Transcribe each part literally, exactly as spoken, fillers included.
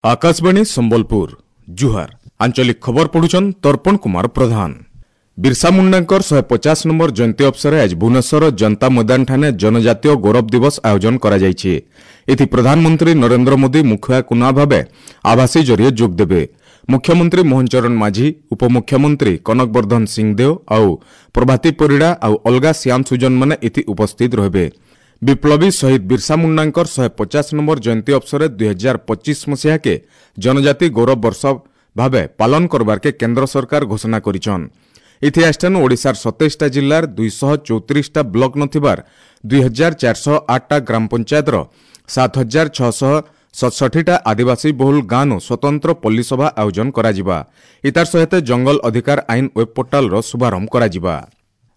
ଆକାଶବାଣୀ ସମ୍ବଲପୁର ଜୁହାର ଆଞ୍ଚଳିକ ଖବର ପଢୁଛନ୍ ତର୍ପଣ କୁମାର ପ୍ରଧାନ ବିର୍ସା ମୁଣ୍ଡାଙ୍କର ଶହେ ପଚାଶ ନମ୍ବର ଜୟନ୍ତୀ ଅବସରରେ ଆଜି ଭୁବନେଶ୍ୱର ଜନତା ମଇଦାନଠାରେ ଜନଜାତୀୟ ଗୌରବ ଦିବସ ଆୟୋଜନ କରାଯାଇଛି ଏଥି ପ୍ରଧାନମନ୍ତ୍ରୀ ନରେନ୍ଦ୍ର ମୋଦି ମୁଖ୍ୟ କୁନା ଭାବେ ଆଭାସୀ ଜରିଏ ଯୋଗ ଦେବେ ମୁଖ୍ୟମନ୍ତ୍ରୀ ମୋହନ ଚରଣ ମାଝୀ ଉପମୁଖ୍ୟମନ୍ତ୍ରୀ କନକ ବର୍ଦ୍ଧନ ସିଂଦେଓ ଆଉ ପ୍ରଭାତୀ ପରିଡ଼ା ଆଉ ଅଲଗା ଶ୍ୟାମ ସୁଜନମାନେ ଏଥି ଉପସ୍ଥିତ ରହିବେ ବିପ୍ଳବୀ ଶହୀଦ ବିର୍ସା ମୁଣ୍ଡାଙ୍କର ଶହେ ପଚାଶ ନମ୍ବର ଜୟନ୍ତୀ ଅବସରରେ ଦୁଇ ହଜାର ପଚିଶ ମସିହାକେ ଜନଜାତି ଗୌରବ ବର୍ଷ ଭାବେ ପାଳନ କରବାର୍କେ କେନ୍ଦ୍ର ସରକାର ଘୋଷଣା କରିଛନ୍ ଇତିହାସଠାନୁ ଓଡ଼ିଶାର ସତେଇଶଟା ଜିଲ୍ଲାର ଦୁଇଶହ ଚଉତିରିଶଟା ବ୍ଲକ ନଥିବାର ଦୁଇ ହଜାର ଚାରିଶହ ଆଠଟା ଗ୍ରାମ ପଞ୍ଚାୟତର ସାତ ହଜାର ଛଅଶହ ସତଷଠିଟା ଆଦିବାସୀ ବହୁଳ ଗାଁନୁ ସ୍ୱତନ୍ତ୍ର ପଲ୍ଲୀସଭା ଆୟୋଜନ କରାଯିବା ଇତାର ସହିତ ଜଙ୍ଗଲ ଅଧିକାର ଆଇନ ୱେବ୍ ପୋର୍ଟାଲର ଶୁଭାରମ୍ଭ କରାଯିବା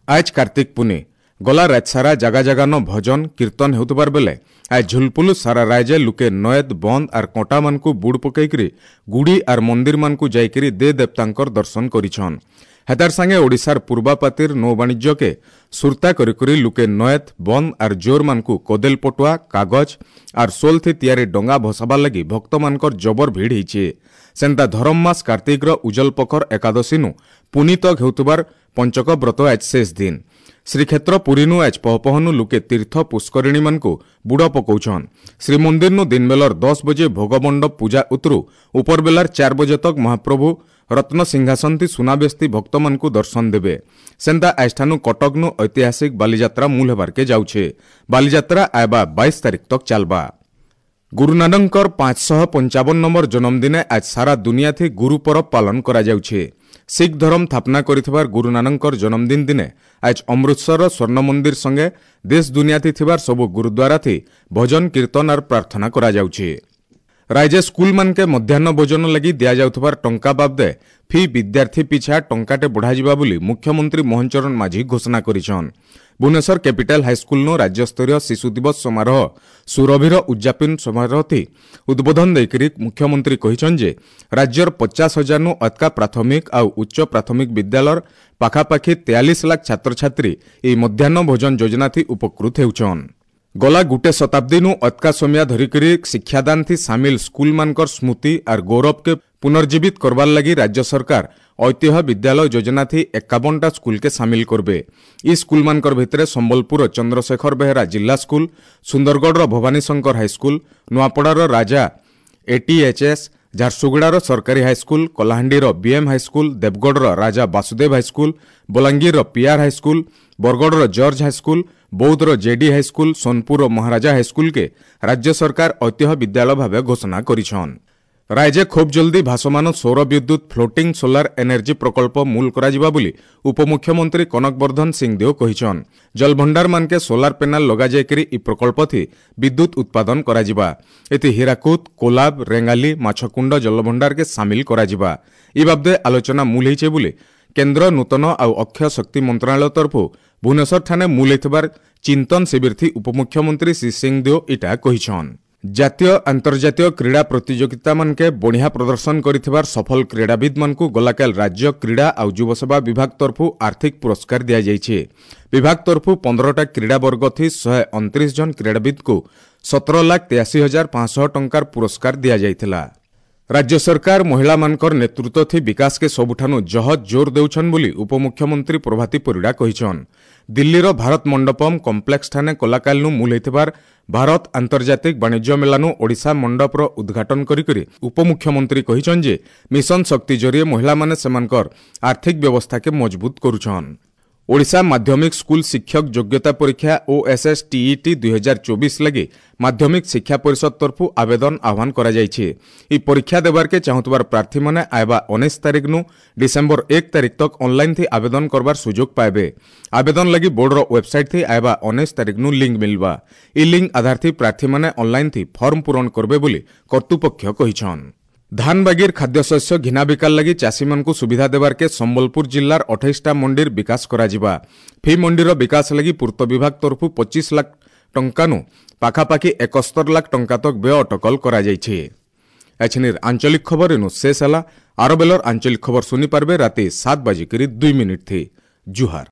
ଆଜ କାର୍ତ୍ତିକ ପୁନି ଗଲା ରାତ ସାରା ଜାଗା ଜାଗାନ ଭଜନ କୀର୍ତ୍ତନ ହେଉଥିବାର ବେଲେ ଆଜ ଝୁଲପୁଲୁ ସାରା ରାଜ୍ୟ ଲୁକେ ନଏଦ ବନ୍ଦ ଆର୍ କଣ୍ଟାମାନଙ୍କୁ ବୁଡ଼ ପକେଇକରି ଗୁଡ଼ି ଆର୍ ମନ୍ଦିରମାନଙ୍କୁ ଯାଇକରି ଦେ ଦେବତାଙ୍କର ଦର୍ଶନ କରିଛନ୍ ହେତାର ସାଙ୍ଗେ ଓଡ଼ିଶାର ପୂର୍ବାପାତିର ନୌବାଣିଜ୍ୟକେ ସୁରତା କରିକରି ଲୁକେ ନଏଦ ବନ୍ଦ ଆର୍ ଜୋରମାନଙ୍କୁ କୋଦେଲ ପଟୁଆ କାଗଜ ଆର୍ ସୋଲଥି ତିଆରି ଡଙ୍ଗା ଭସାବାର ଲାଗି ଭକ୍ତମାନଙ୍କର ଜବର ଭିଡ଼ ହେଇଛେ ସେନ୍ତା ଧରମ ମାସ କାର୍ତ୍ତିକର ଉଜଲ ପଖର ଏକାଦଶୀନୁ ପୁନି ତକ୍ ହେଉଥିବାର ପଞ୍ଚକ ବ୍ରତ ଆଜ ଶେଷ ଦିନ ଶ୍ରୀକ୍ଷେତ୍ର ପୁରୀନୁ ଆଜ ପହପହନୁ ଲୁକେ ତୀର୍ଥ ପୁଷ୍କରିଣୀମାନଙ୍କୁ ବୁଡ଼ ପକଉଛନ୍ ଶ୍ରୀମନ୍ଦିରନୁ ଦିନବେଲର ଦଶ ବଜେ ଭୋଗମଣ୍ଡପ ପୂଜା ଉତରୁ ଉପରବେଲାର ଚାର ବଜେ ତକ୍ ମହାପ୍ରଭୁ ରତ୍ନ ସିଂହାସନଥି ସୁନାବେସ୍ତି ଭକ୍ତମାନଙ୍କୁ ଦର୍ଶନ ଦେବେ ସେନ୍ତା ଆଜଠାନୁ କଟକନୁ ଐତିହାସିକ ବାଲିଯାତ୍ରା ମୂଲ ହେବାର୍କେ ଯାଉଛେ ବାଲିଯାତ୍ରା ଆଇବା ବାଇଶ ତାରିଖ ତକ୍ ଚାଲବା ଗୁରୁ ନାନକଙ୍କର ପାଞ୍ଚଶହ ପଞ୍ଚାବନ ନମ୍ବର ଜନ୍ମଦିନେ ଆଜ ସାରା ଦୁନିଆଥି ଗୁରୁ ପରବ ପାଳନ କରାଯାଉଛେ ଶିଖ ଧର୍ମ ସ୍ଥାପନା କରିଥିବାର ଗୁରୁ ନାନକଙ୍କର ଜନ୍ମଦିନ ଦିନେ ଆଜ ଅମୃତସରର ସ୍ୱର୍ଣ୍ଣ ମନ୍ଦିର ସଙ୍ଗେ ଦେଶ ଦୁନିଆଥି ଥିବାର ସବୁ ଗୁରୁଦ୍ୱାରାଥି ଭଜନ କୀର୍ତ୍ତନ ଆର୍ ପ୍ରାର୍ଥନା କରାଯାଉଛେ ରାଜ୍ୟ ସ୍କୁଲମାନକେ ମଧ୍ୟାହ୍ନ ଭୋଜନ ଲାଗି ଦିଆଯାଉଥିବାର ଟଙ୍କା ବାବଦେ ଫି ବିଦ୍ୟାର୍ଥୀ ପିଛା ଟଙ୍କାଟେ ବଢ଼ାଯିବା ବୋଲି ମୁଖ୍ୟମନ୍ତ୍ରୀ ମୋହନ ଚରଣ ମାଝୀ ଘୋଷଣା କରିଛନ୍ ଭୁବନେଶ୍ୱର କ୍ୟାପିଟାଲ ହାଇସ୍କୁଲନୁ ରାଜ୍ୟସ୍ତରୀୟ ଶିଶୁ ଦିବସ ସମାରୋହ ସୁରଭିର ଉଦ୍ଯାପନ ସମାରୋହଥି ଉଦ୍ବୋଧନ ଦେଇକରି ମୁଖ୍ୟମନ୍ତ୍ରୀ କହିଛନ୍ ଯେ ରାଜ୍ୟର ପଚାଶ ହଜାରନୁ ଅତକା ପ୍ରାଥମିକ ଆଉ ଉଚ୍ଚ ପ୍ରାଥମିକ ବିଦ୍ୟାଳୟର ପାଖାପାଖି ତେୟାଳିଶ ଲାଖ ଛାତ୍ରଛାତ୍ରୀ ଏହି ମଧ୍ୟାହ୍ନ ଭୋଜନ ଯୋଜନାଥି ଉପକୃତ ହେଉଛନ୍ ଗଲା ଗୁଟେ ଶତାବ୍ଦୀନୁ ଅତକା ସମିଆ ଧରିକରି ଶିକ୍ଷାଦାନଥି ସାମିଲ ସ୍କୁଲମାନଙ୍କର ସ୍ମୃତି ଆର୍ ଗୌରବକେ ପୁନର୍ଜୀବିତ କରବାର ଲାଗି ରାଜ୍ୟ ସରକାର ଐତିହ୍ୟ ବିଦ୍ୟାଳୟ ଯୋଜନାଥି ଏକାବନଟା ସ୍କୁଲକେ ସାମିଲ କରବେ ଇ ସ୍କୁଲମାନଙ୍କର ଭିତରେ ସମ୍ବଲପୁର ଚନ୍ଦ୍ରଶେଖର ବେହେରା ଜିଲ୍ଲା ସ୍କୁଲ ସୁନ୍ଦରଗଡ଼ର ଭବାନୀଶଙ୍କର ହାଇସ୍କୁଲ ନୂଆପଡ଼ାର ରାଜା ଏଟିଏଚ୍ଏସ୍ ଝାରସୁଗୁଡ଼ାର ସରକାରୀ ହାଇସ୍କୁଲ କଳାହାଣ୍ଡିର ବିଏମ୍ ହାଇସ୍କୁଲ ଦେବଗଡ଼ର ରାଜା ବାସୁଦେବ ହାଇସ୍କୁଲ ବଲାଙ୍ଗୀରର ପିଆର୍ ହାଇସ୍କୁଲ ବରଗଡ଼ର ଜର୍ଜ ହାଇସ୍କୁଲ ବୌଦ୍ଧର ଜେଡି ହାଇସ୍କୁଲ ସୋନପୁରର ମହାରାଜା ହାଇସ୍କୁଲକେ ରାଜ୍ୟ ସରକାର ଐତିହ୍ୟ ବିଦ୍ୟାଳୟ ଭାବେ ଘୋଷଣା କରିଛନ୍ ରାଜ୍ୟ ଖୁବ୍ ଜଲ୍ଦି ଭାସମାନ ସୌର ବିଦ୍ୟୁତ୍ ଫ୍ଲୋଟିଂ ସୋଲାର ଏନର୍ଜି ପ୍ରକଳ୍ପ ମୂଲ କରାଯିବା ବୋଲି ଉପମୁଖ୍ୟମନ୍ତ୍ରୀ କନକ ବର୍ଦ୍ଧନ ସିଂଦେଓ କହିଛନ୍ ଜଳଭଣ୍ଡାରମାନକେ ସୋଲାର ପ୍ୟାନେଲ ଲଗାଯାଇକରି ଇ ପ୍ରକଳ୍ପଥି ବିଦ୍ୟୁତ୍ ଉତ୍ପାଦନ କରାଯିବା ଏଥି ହୀରାକୁଦ କୋଲାବ ରେଙ୍ଗାଲି ମାଛକୁଣ୍ଡ ଜଳଭଣ୍ଡାରକେ ସାମିଲ କରାଯିବା ଇ ବାବଦେ ଆଲୋଚନା ମୂଲ ହେଇଛେ ବୋଲି କେନ୍ଦ୍ର ନୂତନ ଆଉ ଅକ୍ଷୟ ଶକ୍ତି ମନ୍ତ୍ରଣାଳୟ ତରଫରୁ ଭୁବନେଶ୍ୱରଠାନେ ମୂଲ ହେଇଥିବାର ଚିନ୍ତନ ଶିବିରଥି ଉପମୁଖ୍ୟମନ୍ତ୍ରୀ ଶ୍ରୀ ସିଂଦେଓ ଇଟା କହିଛନ୍ ଜାତୀୟ ଆନ୍ତର୍ଜାତୀୟ କ୍ରୀଡ଼ା ପ୍ରତିଯୋଗିତାମାନକେ ବଢ଼ିଆ ପ୍ରଦର୍ଶନ କରିଥିବାର ସଫଳ କ୍ରୀଡ଼ାବିତ୍ମାନଙ୍କୁ ଗଲାକାଲ ରାଜ୍ୟ କ୍ରୀଡ଼ା ଆଉ ଯୁବସେବା ବିଭାଗ ତରଫରୁ ଆର୍ଥିକ ପୁରସ୍କାର ଦିଆଯାଇଛି ବିଭାଗ ତରଫରୁ ପନ୍ଦରଟା କ୍ରୀଡ଼ା ବର୍ଗଥି ଶହେ ଅଣତିରିଶ ଜଣ କ୍ରୀଡ଼ାବିତ୍କୁ ସତର ଲାଖ ତେୟାଅଶୀ ହଜାର ପାଞ୍ଚଶହ ଟଙ୍କାର ପୁରସ୍କାର ଦିଆଯାଇଥିଲା ରାଜ୍ୟ ସରକାର ମହିଳାମାନଙ୍କର ନେତୃତ୍ୱଥି ବିକାଶକେ ସବୁଠାନୁ ଜହଜ ଜୋର ଦେଉଛନ୍ ବୋଲି ଉପମୁଖ୍ୟମନ୍ତ୍ରୀ ପ୍ରଭାତୀ ପରିଡ଼ା କହିଛନ୍ ଦିଲ୍ଲୀର ଭାରତ ମଣ୍ଡପମ୍ କମ୍ପ୍ଲେକ୍ସଠାନେ କଲାକାଲନୁ ମୂଲ ହେଇଥିବାର ଭାରତ ଆନ୍ତର୍ଜାତିକ ବାଣିଜ୍ୟ ମେଲାନୁ ଓଡ଼ିଶା ମଣ୍ଡପର ଉଦ୍ଘାଟନ କରିକରି ଉପମୁଖ୍ୟମନ୍ତ୍ରୀ କହିଛନ୍ ଯେ ମିଶନ ଶକ୍ତି ଜରିଏ ମହିଳାମାନେ ସେମାନଙ୍କର ଆର୍ଥିକ ବ୍ୟବସ୍ଥାକେ ମଜବୁତ କରୁଛନ୍ ଓଡ଼ିଶା ମାଧ୍ୟମିକ ସ୍କୁଲ ଶିକ୍ଷକ ଯୋଗ୍ୟତା ପରୀକ୍ଷା ଓଏସ୍ଏସ୍ଟିଇଟି ଦୁଇ ହଜାର ଚବିଶ ଲାଗି ମାଧ୍ୟମିକ ଶିକ୍ଷା ପରିଷଦ ତରଫରୁ ଆବେଦନ ଆହ୍ୱାନ କରାଯାଇଛି ଏହି ପରୀକ୍ଷା ଦେବାର୍କେ ଚାହୁଁଥିବାର ପ୍ରାର୍ଥୀମାନେ ଆଇବା ଉଣେଇଶ ତାରିଖନୁ ଡିସେମ୍ବର ଏକ ତାରିଖ ତକ୍ ଅନଲାଇନ୍ ଥି ଆବେଦନ କରବାର ସୁଯୋଗ ପାଇବେ ଆବେଦନ ଲାଗି ବୋର୍ଡର ୱେବସାଇଟ୍ ଥି ଆଇବା ଉଣେଇଶ ତାରିଖନୁ ଲିଙ୍କ ମିଲବା ଇ ଲିଙ୍କ ଆଧାର ଥି ପ୍ରାର୍ଥୀମାନେ ଅନଲାଇନ୍ ଥି ଫର୍ମ ପୂରଣ କରବେ ବୋଲି କର୍ତ୍ତୃପକ୍ଷ କହିଛନ୍ ଧାନ ବାଗିର ଖାଦ୍ୟଶସ୍ୟ ଘିନା ବିକାଲ ଲାଗି ଚାଷୀମାନଙ୍କୁ ସୁବିଧା ଦେବାର୍କେ ସମ୍ବଲପୁର ଜିଲ୍ଲାର ଅଠେଇଶଟା ମଣ୍ଡିର ବିକାଶ କରାଯିବା ଫି ମଣ୍ଡିର ବିକାଶ ଲାଗି ପୂର୍ତ୍ତ ବିଭାଗ ତରଫରୁ ପଚିଶ ଲାଖ ଟଙ୍କାନୁ ପାଖାପାଖି ଏକସ୍ତର ଲାଖ ଟଙ୍କା ତକ ବ୍ୟୟ ଅଟକଲ କରାଯାଇଛି ଏଛିନିର ଆଞ୍ଚଳିକ ଖବର ଏନୁ ଶେଷ ହେଲା ଆର ବେଲର ଆଞ୍ଚଳିକ ଖବର ଶୁଣିପାରିବେ ରାତି ସାତ ବାଜିକରି ଦୁଇ ମିନିଟ୍ ଥି ଜୁହାର